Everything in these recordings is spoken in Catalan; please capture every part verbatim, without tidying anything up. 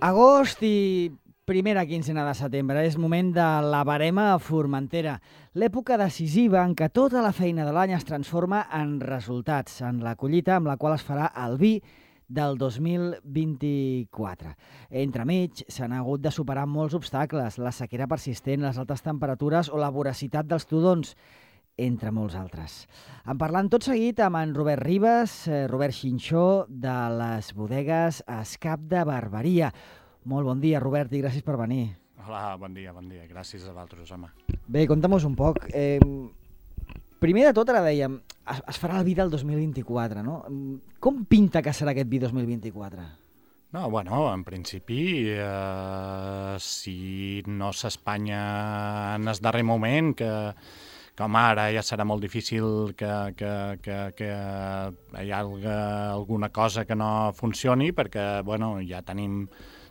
Agost i primera quincena de setembre és moment de la verema a Formentera, l'època decisiva en què tota la feina de l'any es transforma en resultats, en la collita amb la qual es farà el vi del dos mil vint-i-quatre. Entremig s'han hagut de superar molts obstacles, la sequera persistent, les altes temperatures o la voracitat dels tudons, entre molts altres. En parlant tot seguit amb en Robert Ribas, eh, Robert Xinxó, de les bodegues Escap de Barberia. Molt bon dia, Robert, i gràcies per venir. Hola, bon dia, bon dia. Gràcies a vosaltres, home. Bé, conta'm-nos un poc. Eh, primer de tot, ara dèiem, es, es farà el vi del dos mil vint-i-quatre, no? Com pinta que serà aquest vi dos mil vint-i-quatre? No, bueno, en principi, eh, si no s'espanya en el darrer moment, que, com ara ja serà molt difícil que, que, que, que hi hagi alguna cosa que no funcioni, perquè, bueno, ja tenim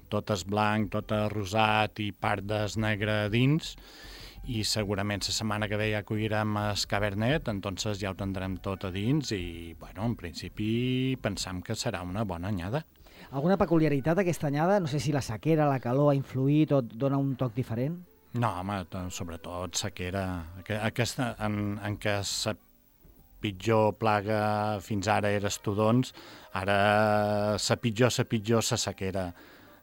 tot és blanc, tot és rosat i part des negre dins, i segurament la setmana que ve ja collirem el Cabernet, entonces ja ho tindrem tot a dins i, bueno, en principi pensam que serà una bona anyada. Alguna peculiaritat aquesta anyada? No sé si la sequera, la calor ha influït o dona un toc diferent? No, home, sobretot sequera. Aquesta, en, en què la pitjor plaga fins ara era els tudons, ara la pitjor, la pitjor, la sequera.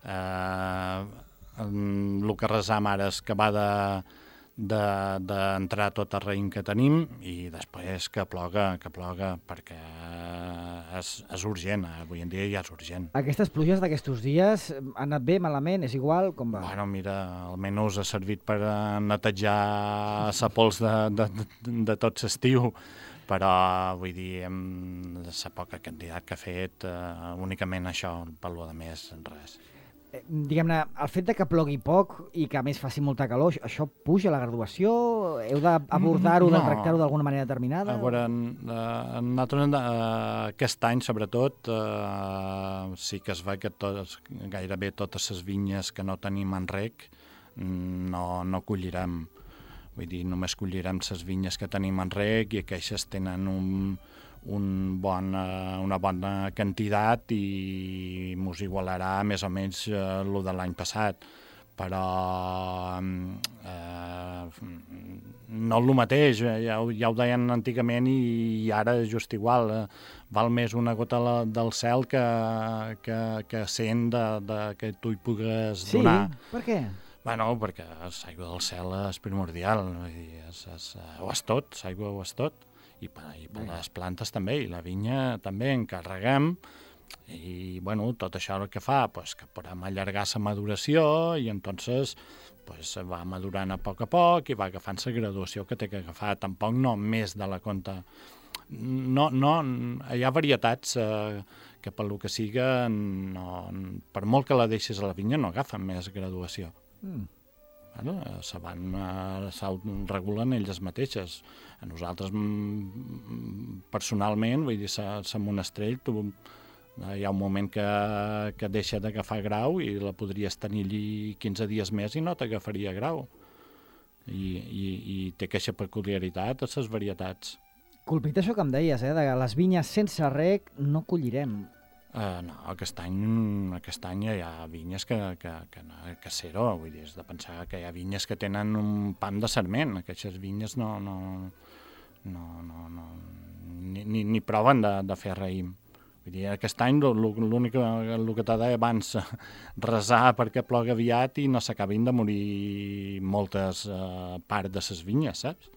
Eh, el que resam ara és que va de d'entrar tot el raïm que tenim i després que ploga, que ploga, perquè és, és urgent, avui en dia ja és urgent. Aquestes pluges d'aquests dies han anat bé, malament, és igual, com va? Bueno, mira, almenys ha servit per netejar la pols de, de, de, de tot l'estiu, però vull dir, amb la poca quantitat que ha fet, eh, únicament això, per lo de més, res. Diguem-ne, el fet de que plogui poc i que a més faci molta calor, això puja la graduació? Heu d'abordar-ho, no. de tractar-ho d'alguna manera determinada? A veure, nosaltres aquest any, sobretot, eh, sí que es ve que tot, gairebé totes les vinyes que no tenim en rec no, no collirem. Vull dir, només collirem les vinyes que tenim en rec i aquestes tenen un... Un bon, una bona quantitat i mos igualarà més o menys eh, el de l'any passat, però eh, no el mateix, ja, ja ho deien antigament i, i ara és just igual, eh, val més una gota del cel que, que, que cent de, de, que tu hi pugues sí? donar. Sí? Per què? Bueno, perquè l'aigua del cel és primordial, és, és, ho és tot, l'aigua ho és tot. i per, i per les plantes també, i la vinya també encarreguem, i bueno, tot això el que fa, pues, que podem allargar la maduració, i entonces pues, va madurant a poc a poc i va agafant la graduació que té que agafar, tampoc no més de la compte. No, no, hi ha varietats eh, que per lo que siga, no, per molt que la deixis a la vinya, no agafen més graduació. Mm. Bueno, se van, s'autoregulen elles mateixes. A nosaltres, personalment, vull dir, la monestrell, tu, hi ha un moment que, que deixa d'agafar grau i la podries tenir allí quinze dies més i no t'agafaria grau. I, i, i té aquesta peculiaritat a les varietats. Colpit això que em deies, eh, de les vinyes sense rec no collirem. Uh, no, aquest any, aquest any hi ha vinyes que, que, que, que zero, vull dir, és de pensar que hi ha vinyes que tenen un pam de sarment, aquestes vinyes no, no, no, no, no ni, ni, ni proven de, de fer raïm. Vull dir, aquest any l'únic el que t'ha dit abans, resar perquè ploga aviat i no s'acabin de morir moltes uh, parts de les vinyes, saps?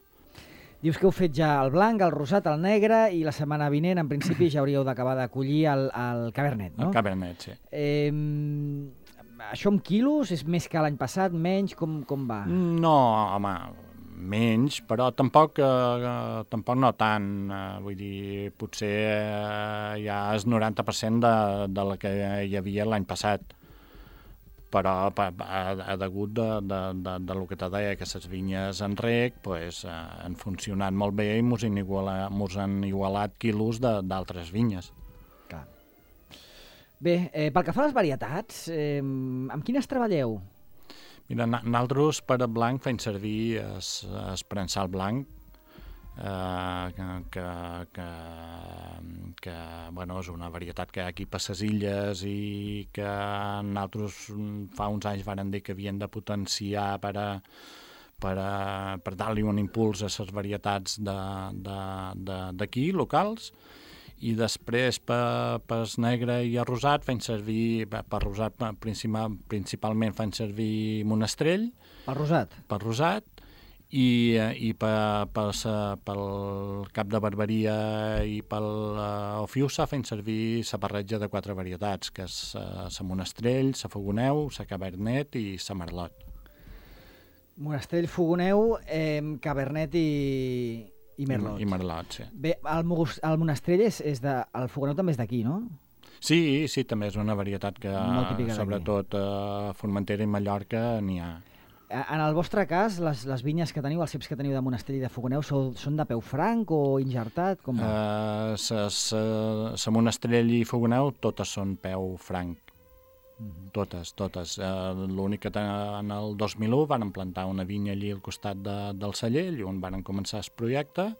Dius que heu fet ja el blanc, el rosat, el negre, i la setmana vinent, en principi, ja hauríeu d'acabar de collir el, el Cabernet, no? El Cabernet, sí. Eh, això amb quilos és més que l'any passat, menys, com, com va? No, home, menys, però tampoc, eh, tampoc no tant. Eh, vull dir, potser eh, ja és noranta per cent de, de la que hi havia l'any passat. Però ha degut de, de, de, de lo que te deia, que les vinyes en rec pues, eh, han funcionat molt bé i mos han igualat, mos han igualat quilos d'altres vinyes. Clar. Bé, eh, pel que fa a les varietats, eh, amb quines treballeu? Mira, nosaltres per a blanc fem servir el prensal blanc, eh, que, que, que, que bueno, és una varietat que hi ha aquí per les illes i que nosaltres fa uns anys varen dir que havien de potenciar per a per, a, per dar-li un impuls a les varietats d'aquí, locals, i després per, per negre i arrosat fan servir, per rosat principal, principalment fan servir monestrell. Per rosat? Per rosat, i, i per, per sa, pel cap de barberia i pel uh, Ofiusa fan servir la barreja de quatre varietats, que és la uh, monestrell, la fogoneu, la cabernet i la merlot. Monestrell, fogoneu, eh, cabernet i, i merlot. I, i merlot, sí. Bé, el, el monestrell és, és de... El fogoneu també és d'aquí, no? Sí, sí, també és una varietat que, sobretot a Formentera i Mallorca, n'hi ha. En el vostre cas, les, les vinyes que teniu, els ceps que teniu de monestrell i de fogoneu, sou, són de peu franc o injertat? Com va? Uh, la monestrell i fogoneu totes són peu franc. Mm-hmm. Totes, totes. Uh, L'únic que en el dos mil u van plantar una vinya allí al costat de, del celler, on van començar el projecte,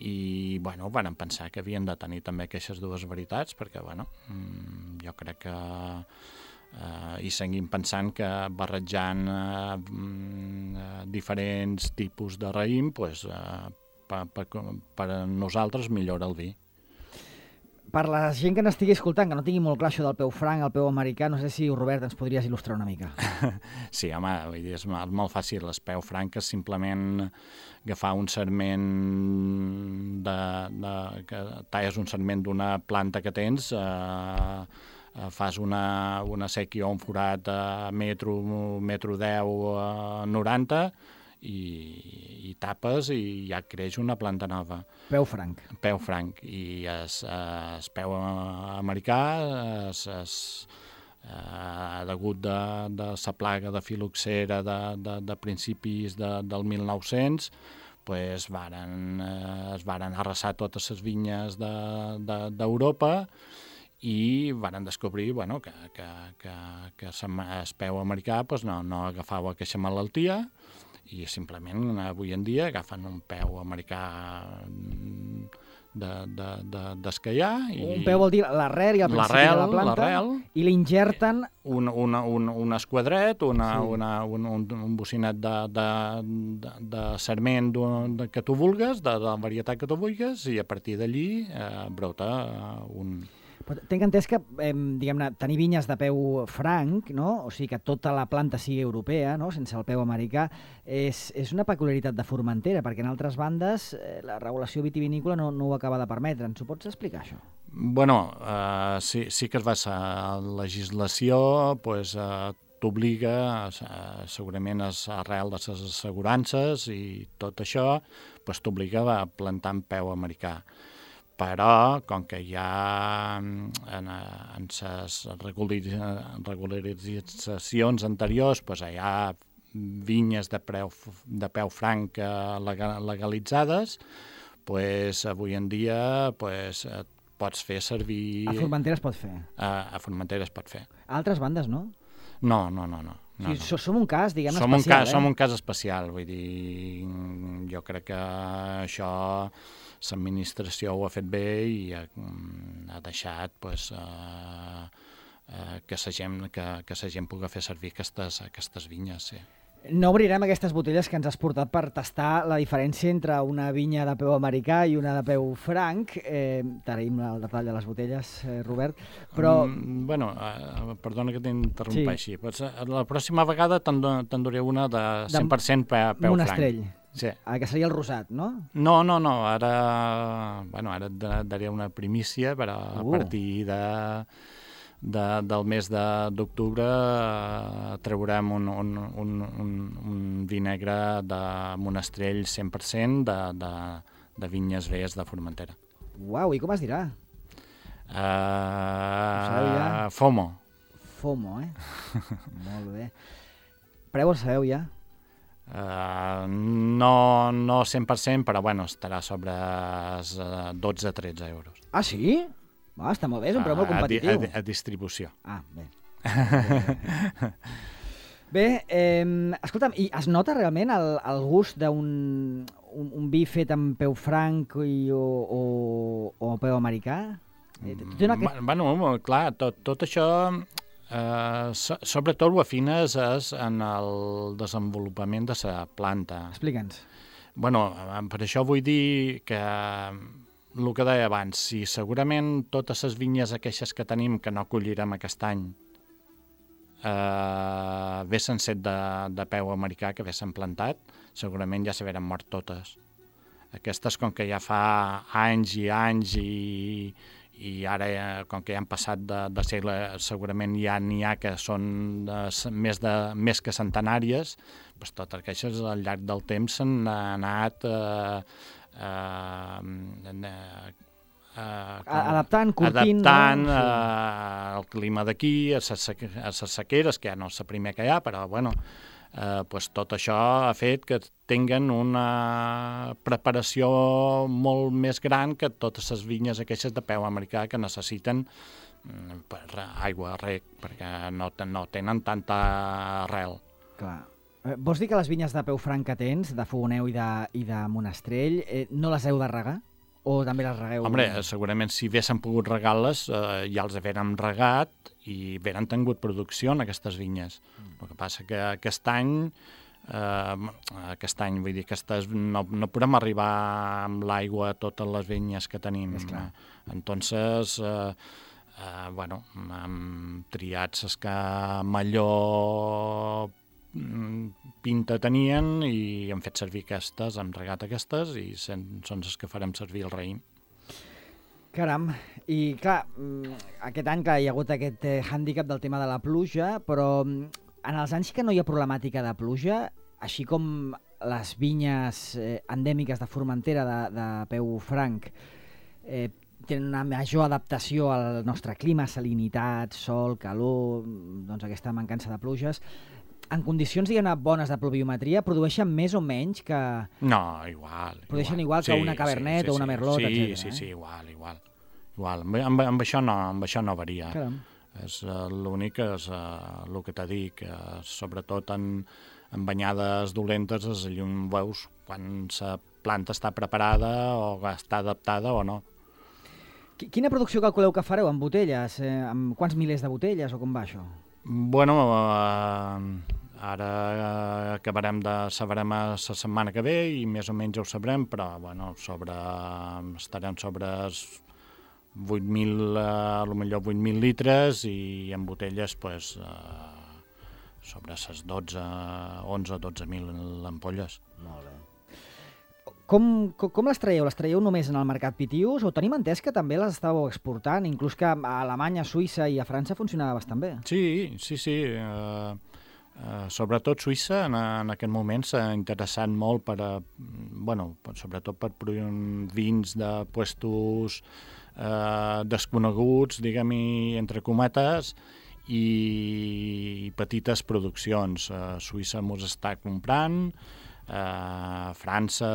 i bueno, van pensar que havien de tenir també aquestes dues varietats, perquè bueno, jo crec que uh, i seguim pensant que barrejant uh, uh, diferents tipus de raïm, pues, uh, per, per, per a nosaltres millora el vi. Per la gent que n'estigui escoltant, que no tingui molt clar això del peu franc, el peu americà, no sé si, Robert, ens podries il·lustrar una mica. Sí, home, vull dir, és molt fàcil. El peu franc és simplement agafar un sarment, de, de, que talles un sarment d'una planta que tens, eh, fas una, una sèquia o un forat a metro, metro deu, a noranta, i, i tapes i ja creix una planta nova. Peu franc. Peu franc. I es, es peu americà es, es, eh, degut de, de la plaga de filoxera de, de, de principis de, del mil nou-cents, pues varen, eh, es varen arrasar totes les vinyes d'Europa de, de, i varen descobrir bueno, que, que, que, que el peu americà pues, no, no agafava aquesta malaltia, i simplement avui en dia agafen un peu americà d'escaiar. De, de, un peu vol dir l'arrel i el principi de la planta, i l'ingerten... Un, un, un, un esquadret, una, sí. una, un, un, un bocinet de, de, de, de sarment que tu vulgues, de, de la varietat que tu vulgues, i a partir d'allí eh, brota un... Tinc entès que, eh, diguem-ne, tenir vinyes de peu franc, no? O sigui que tota la planta sigui europea, no? Sense el peu americà, és, és una peculiaritat de Formentera, perquè en altres bandes eh, la regulació vitivinícola no, no ho acaba de permetre. Ens ho pots explicar, això? Bueno, eh, sí, sí que es va ser la legislació, pues, eh, t'obliga, eh, segurament és arrel de les assegurances i tot això, pues, t'obliga a plantar en peu americà. Però, com que hi ha en, en les regularitzacions anteriors, doncs hi ha vinyes de, preu, de peu franc legalitzades, doncs avui en dia doncs, pots fer servir... A Formentera es pot fer? A, a Formentera es pot fer. A altres bandes, no? No, no, no, no. No, no. Sí, som un cas, diguem-ne, som especial, un cas, eh? Som un cas especial, vull dir, jo crec que això l'administració ho ha fet bé i ha, ha deixat pues, uh, uh, que la gent, que, que la gent pugui fer servir aquestes, aquestes vinyes, sí. No obrirem aquestes botelles que ens has portat per tastar la diferència entre una vinya de peu americà i una de peu franc. Eh, T'agraïm el detall de les botelles, eh, Robert, però... Mm, bueno, uh, perdona que t'interrompeixi. Sí. Pues, la pròxima vegada te'n duré una de cent per cent pe, peu monestrell. franc. Sí. Ah, que seria el rosat, no? No, no, no. Ara, bueno, ara et daré una primícia, però uh. a partir de... De, del mes d'octubre eh, traurem un, un, un, un, un vi negre de monestrell cent per cent de, de, de vinyes velles de Formentera. Uau, i com es dirà? Uh, Fomo. Fomo, eh? Molt bé. Preu el sabeu ja? Uh, no, no cent per cent, però bueno, estarà sobre dotze a tretze euros. Ah, sí? Ah, està molt bé, és un preu molt competitiu. A, a, a distribució. Ah, bé. Bé, eh, escolta'm, i es nota realment el, el gust d'un un, un vi fet amb peu franc i, o, o, o peu americà? Eh, té una... Mm, bueno, clar, tot, tot això, eh, so, sobretot ho afines és en el desenvolupament de la planta. Explica'ns. Bueno, per això vull dir que el que deia abans, si segurament totes les vinyes aquestes que tenim que no collirem aquest any eh, haguessin set de, de peu americà que haguessin plantat, segurament ja s'hagueren mort totes. Aquestes, com que ja fa anys i anys i, i ara, com que ja han passat de, de segle, segurament ja n'hi ha que són de, més, de, més que centenàries, doncs totes aquestes al llarg del temps s'han anat eh, eh, eh, Uh, adaptant, curtint, adaptant no? uh, el clima d'aquí, a les sequeres, que ja no és la primera que hi ha, però bueno, uh, pues tot això ha fet que tinguen una preparació molt més gran que totes les vinyes aquestes de peu americà que necessiten um, per aigua, rec, perquè no, no tenen tanta arrel. Clar. Vols dir que les vinyes de peu franc que tens, de Fogoneu i de, i de Monastrell, eh, no les heu de regar? O també les regueu? Hombre, segurament si haguéssim pogut regar-les eh, ja els haguérem regat i hagueren tingut producció en aquestes vinyes. Mm. El que passa que aquest any, eh, aquest any, vull dir, aquestes, no, no podem arribar amb l'aigua a totes les vinyes que tenim. És clar. Entonces, eh, eh, bueno, hem triat les que millor pinta tenien i hem fet servir aquestes, hem regat aquestes i sen, són les que farem servir el raïm. Caram, i clar, aquest any clar, hi ha hagut aquest eh, hàndicap del tema de la pluja, però en els anys que no hi ha problemàtica de pluja, així com les vinyes eh, endèmiques de Formentera de, de peu franc eh, tenen una major adaptació al nostre clima, salinitat, sol, calor, doncs aquesta mancança de pluges, en condicions, diguem-ne, bones de pluviometria, produeixen més o menys que... No, igual. Produeixen igual, igual que sí, una Cabernet sí, sí, o una Merlot, sí, etcètera. Sí, sí, eh? sí, igual, igual. igual. Amb, amb, amb, això no, amb això no varia. Caram. És uh, l'únic és uh, el que t'he dit, que uh, sobretot en, en banyades dolentes es llum veus quan la planta està preparada o està adaptada o no. Quina producció calculeu que fareu amb botelles? Eh, amb quants milers de botelles o com va això? Bueno, uh, ara uh, acabarem de sabrem la setmana que ve i més o menys ho sabrem, però bueno, sobre, estarem sobre vuit mil, uh, potser vuit mil litres i en botelles pues, uh, sobre les dotze, onze o dotze mil ampolles. Molt bé. Com, com, com les traieu? Les traieu només en el mercat Pitius o tenim entès que també les estàveu exportant, inclús que a Alemanya, a Suïssa i a França funcionava bastant bé? Sí, sí, sí. Uh, uh, sobretot Suïssa en, en aquest moment s'ha interessat molt per, a, bueno, sobretot per vins de puestos uh, desconeguts, diguem-hi, entre cometes, i petites produccions. Uh, Suïssa mos està comprant, Uh, França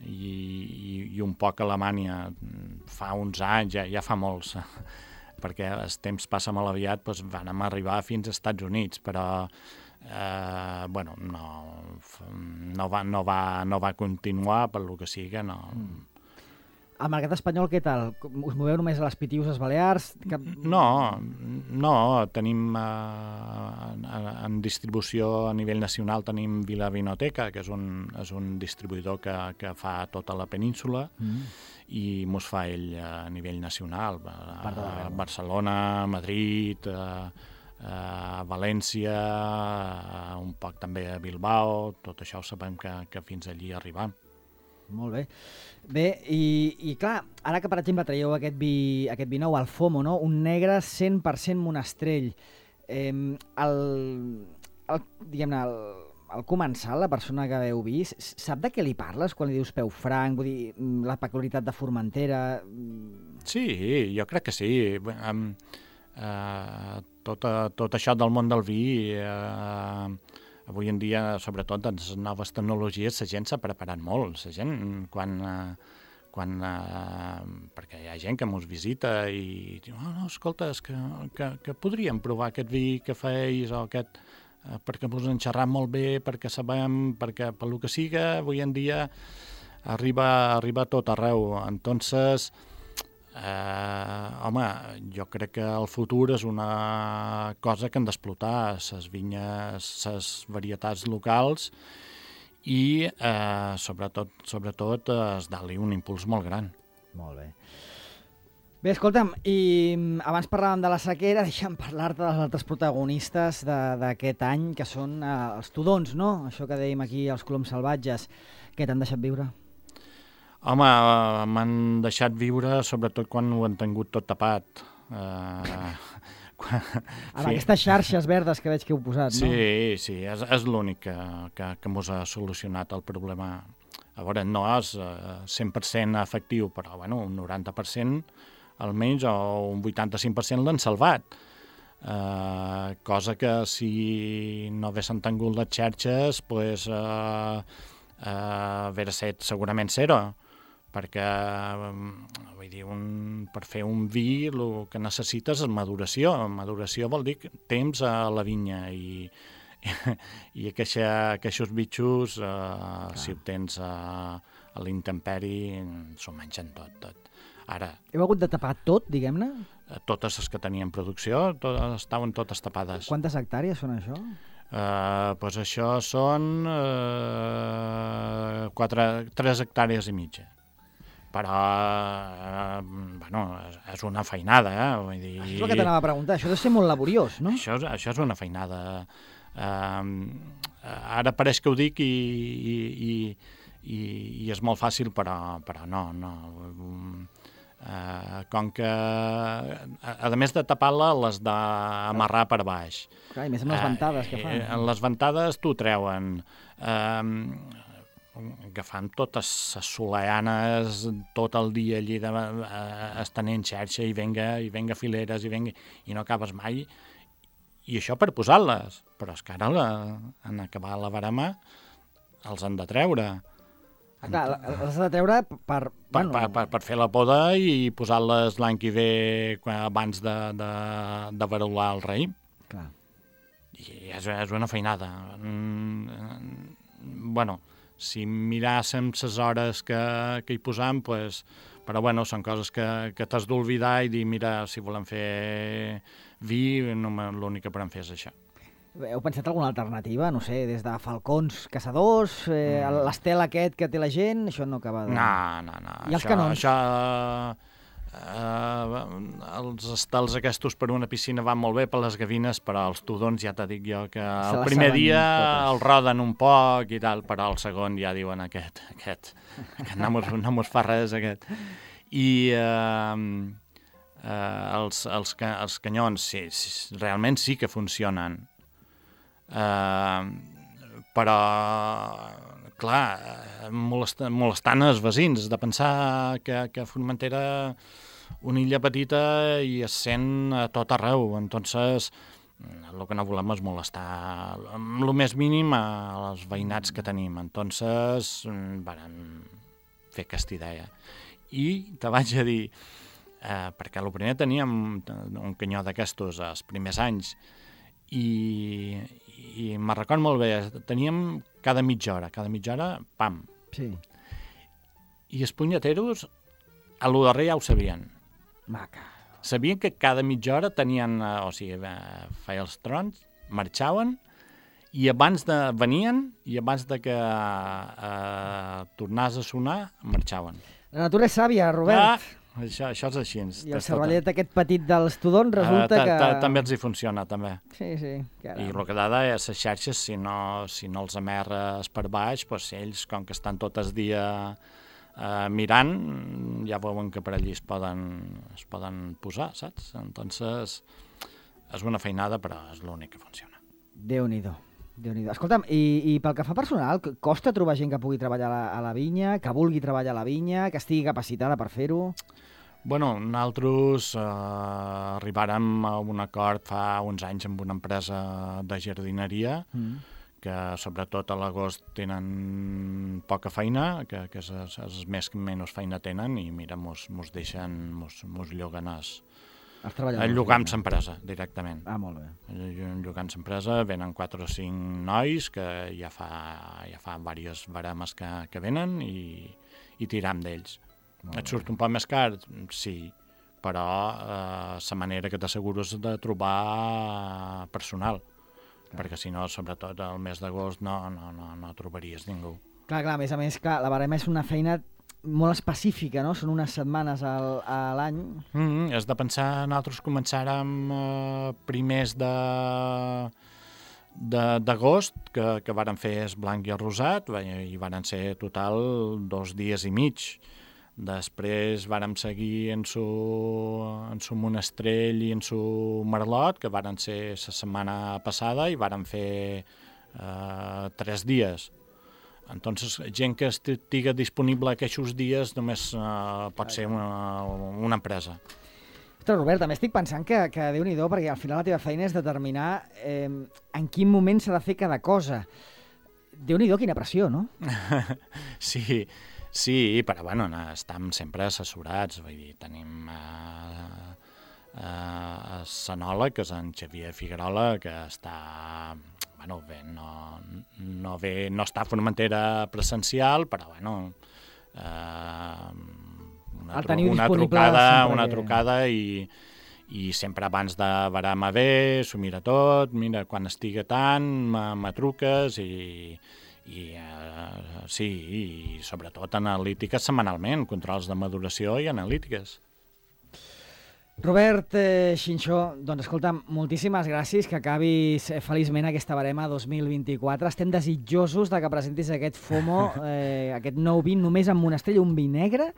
i, i, i un poc Alemanya fa uns anys, ja, ja fa molts perquè el temps passa molt aviat, doncs van arribar fins als Estats Units, però uh, bueno, no, no, va, no, va, no va continuar per lo que sigui, no. Mm. El mercat espanyol, què tal? Us moveu només a les Pitius, les Balears? Cap... No, no, tenim eh, en distribució a nivell nacional tenim Vila Vinoteca, que és un, és un distribuïdor que, que fa tota la península mm. i mos fa ell a nivell nacional, a, a Barcelona, Madrid, a, a València, a un poc també a Bilbao, tot això ho sabem que, que fins allí arribam. Molt bé. Bé, i, i clar, ara que per exemple traieu aquest vi, aquest vi nou, el FOMO, no? Un negre cent per cent Monastrell, eh, el, el, diguem-ne, el, el comensal, la persona que heu vist, sap de què li parles quan li dius peu franc, vull dir, la peculiaritat de Formentera? Sí, jo crec que sí. Um, uh, tot, tot això del món del vi... Uh, Avui en dia, sobretot, en les noves tecnologies, la gent s'ha preparat molt. La gent, quan, eh, quan, eh, perquè hi ha gent que mos visita i diu, oh, no, escolta, és que, que, que podríem provar aquest vi que feis o aquest, eh, perquè mos han xerrat molt bé, perquè sabem, perquè pel que siga, avui en dia arriba, arriba a tot arreu. Entonces, eh, home, jo crec que el futur és una cosa que han d'explotar, les vinyes, les varietats locals, i eh, sobretot, sobretot es dali un impuls molt gran. Molt bé. Bé, escolta'm, i abans parlàvem de la sequera, deixa'm parlar-te dels altres protagonistes d'aquest any, que són eh, els tudons, no? Això que dèiem aquí, els coloms salvatges. Què t'han deixat viure? Home, eh, m'han deixat viure sobretot quan ho han tingut tot tapat. Eh, quan... Amb aquestes xarxes verdes que veig que heu posat, sí, no? Sí, sí, és, és l'únic que, que, que mos ha solucionat el problema. A veure, no és eh, cent per cent efectiu, però bueno, un noranta per cent almenys, o un vuitanta-cinc per cent l'han salvat. Eh, cosa que si no haguessin tingut les xarxes, pues, eh, eh, hauria estat segurament zero, perquè vull dir, un, per fer un vi el que necessites és maduració. Maduració vol dir temps a la vinya, i, i aquests bitxos, eh, si ho tens a, a l'intemperi, s'ho mengen tot, tot. Ara, heu hagut de tapar tot, diguem-ne? Totes les que tenien producció tot, estaven totes tapades. Quantes hectàrees són això? Uh, pues això són uh, quatre, tres hectàrees i mitja. Però, uh, bueno, és, és una feinada, eh? Vull dir... Això és el que t'anava a preguntar, això ha de ser molt laboriós, no? Això, això és una feinada. Uh, ara pareix que ho dic i... i, i I, i és molt fàcil, però, però no, no. Uh, com que, a, a més de tapar-la, les d'amarrar per baix. Clar, i més amb les ventades uh, que fan. Uh, les ventades t'ho treuen. Uh, agafant totes les soleanes tot el dia allí, de, uh, estenent xarxa, i venga, i venga fileres, i venga, i no acabes mai. I això per posar-les. Però és que ara, la, en acabar la barama, els han de treure. Ah, clar, les has de treure per... Per, bueno... per, per, per fer la poda i posar-les l'any que ve abans de, de, de verular el raïm. Clar. I és, és una feinada. Mm, bueno, si miràssim les hores que, que hi posam, pues, però bueno, són coses que, que t'has d'oblidar i dir, mira, si volem fer vi, no, l'únic que podem fer és això. Heu pensat alguna alternativa? No sé, des de falcons, caçadors, eh, mm. l'estel aquest que té la gent, això no acaba de... No, no, no. I els això, canons? Això, eh, els estels aquests per una piscina van molt bé per les gavines, però els tudons ja t'ho dic jo que el primer dia totes. El roden un poc i tal, però el segon ja diuen aquest, aquest, aquest no, mos, no mos fa res, aquest. I... Eh, eh, els, els, els canyons, sí, sí, realment sí que funcionen. Uh, però clar, molest, molestant els veïns de pensar que, que Formentera, una illa petita, i es sent a tot arreu. Entonces, el que no volem és molestar amb el més mínim als veïnats que tenim. Entonces, vam fer aquesta idea. I te vaig a dir, eh, perquè el primer teníem un canyó d'aquestos els primers anys, i, i me'n record molt bé, teníem cada mitja hora, cada mitja hora, pam. Sí. I els punyeteros, a lo darrer ja ho sabien. Maca. Sabien que cada mitja hora tenien, o sigui, feia els trons, marxaven, i abans de... venien, i abans de que eh, tornés a sonar, marxaven. La natura és sàvia, Robert. Ah, això, això és així. I el cervellet aquest petit dels tudons resulta uh, que... També els hi funciona, també. Sí, sí. Caram. I el que dada és les xarxes, si no, si no els amerres per baix, doncs ells, com que estan tot el dia eh, mirant, ja veuen que per allí es poden, es poden posar, saps? Entonces, és una feinada, però és l'únic que funciona. Déu-n'hi-do. Déu-n'hi-do. Escolta'm, i, i pel que fa personal, costa trobar gent que pugui treballar a la, a la vinya, que vulgui treballar a la vinya, que estigui capacitada per fer-ho? Bueno, nosaltres eh, arribàrem a un acord fa uns anys amb una empresa de jardineria mm. que sobretot a l'agost tenen poca feina, que, que és, és més que menys feina tenen, i mira, mos, mos deixen, mos, mos lloguen els, els treballadors. Llogant l'empresa, directament. Ah, molt bé. Llogant l'empresa, venen quatre o cinc nois que ja fa, ja fa diverses baremes que, que venen i, i tiram d'ells. Et surt un poc més car? Sí, però eh, la manera que t'assegures de trobar personal, clar. Perquè si no, sobretot el mes d'agost no, no, no, no trobaries ningú. Clar, clar, a més a més, clar, la barema és una feina molt específica, no? Són unes setmanes al, a l'any. Mm, has de pensar, nosaltres començàrem eh, primers de d'agost, que, que varen fer el blanc i el rosat, i varen ser total dos dies i mig. Després vàrem seguir en su, en su monestrell i en su merlot, que varen ser la setmana passada, i varen fer eh, tres dies. Entonces, gent que estigui disponible aquests dies només eh, pot ser una, una empresa. Ostres, Robert, també estic pensant que, que Déu-n'hi-do, perquè al final la teva feina és determinar eh, en quin moment s'ha de fer cada cosa. Déu-n'hi-do, quina pressió, no? Sí, sí, però bueno, estem sempre assessorats, vull dir, tenim eh, eh, l'enòleg, que és en Xavier Figuerola, que està, bueno, bé, no, no, ve, no està a Formentera presencial, però bueno, eh, una, tru una trucada, una trucada i, i sempre abans de barama bé, s'ho mira tot, mira, quan estigui tant, me truques i... I uh, sí, i sobretot analítiques setmanalment, controls de maduració i analítiques. Robert eh, Xinxó, doncs escolta, moltíssimes gràcies, que acabis eh, feliçment aquesta barema dos mil vint-i-quatre. Estem desitjosos de que presentis aquest FOMO, eh, aquest nou vi només amb monestrell, un vi negre,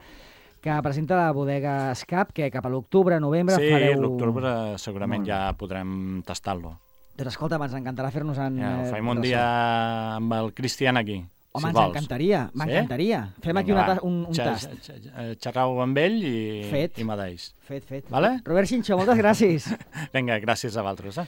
que presenta la bodega Escap, que cap a l'octubre, novembre sí, fareu... Sí, l'octubre segurament ja podrem tastar-lo. Doncs escolta, ens encantarà fer-nos en... Ja, ho faim un dia amb el Cristian aquí, Home, si ens vols. encantaria, m'encantaria. Sí? Fem aquí una, un, un tast. Xerrau amb ell i, fet. i m'adeix. Fet, fet. Vale? Robert Xinxó, moltes gràcies. Vinga, gràcies a vosaltres. Eh?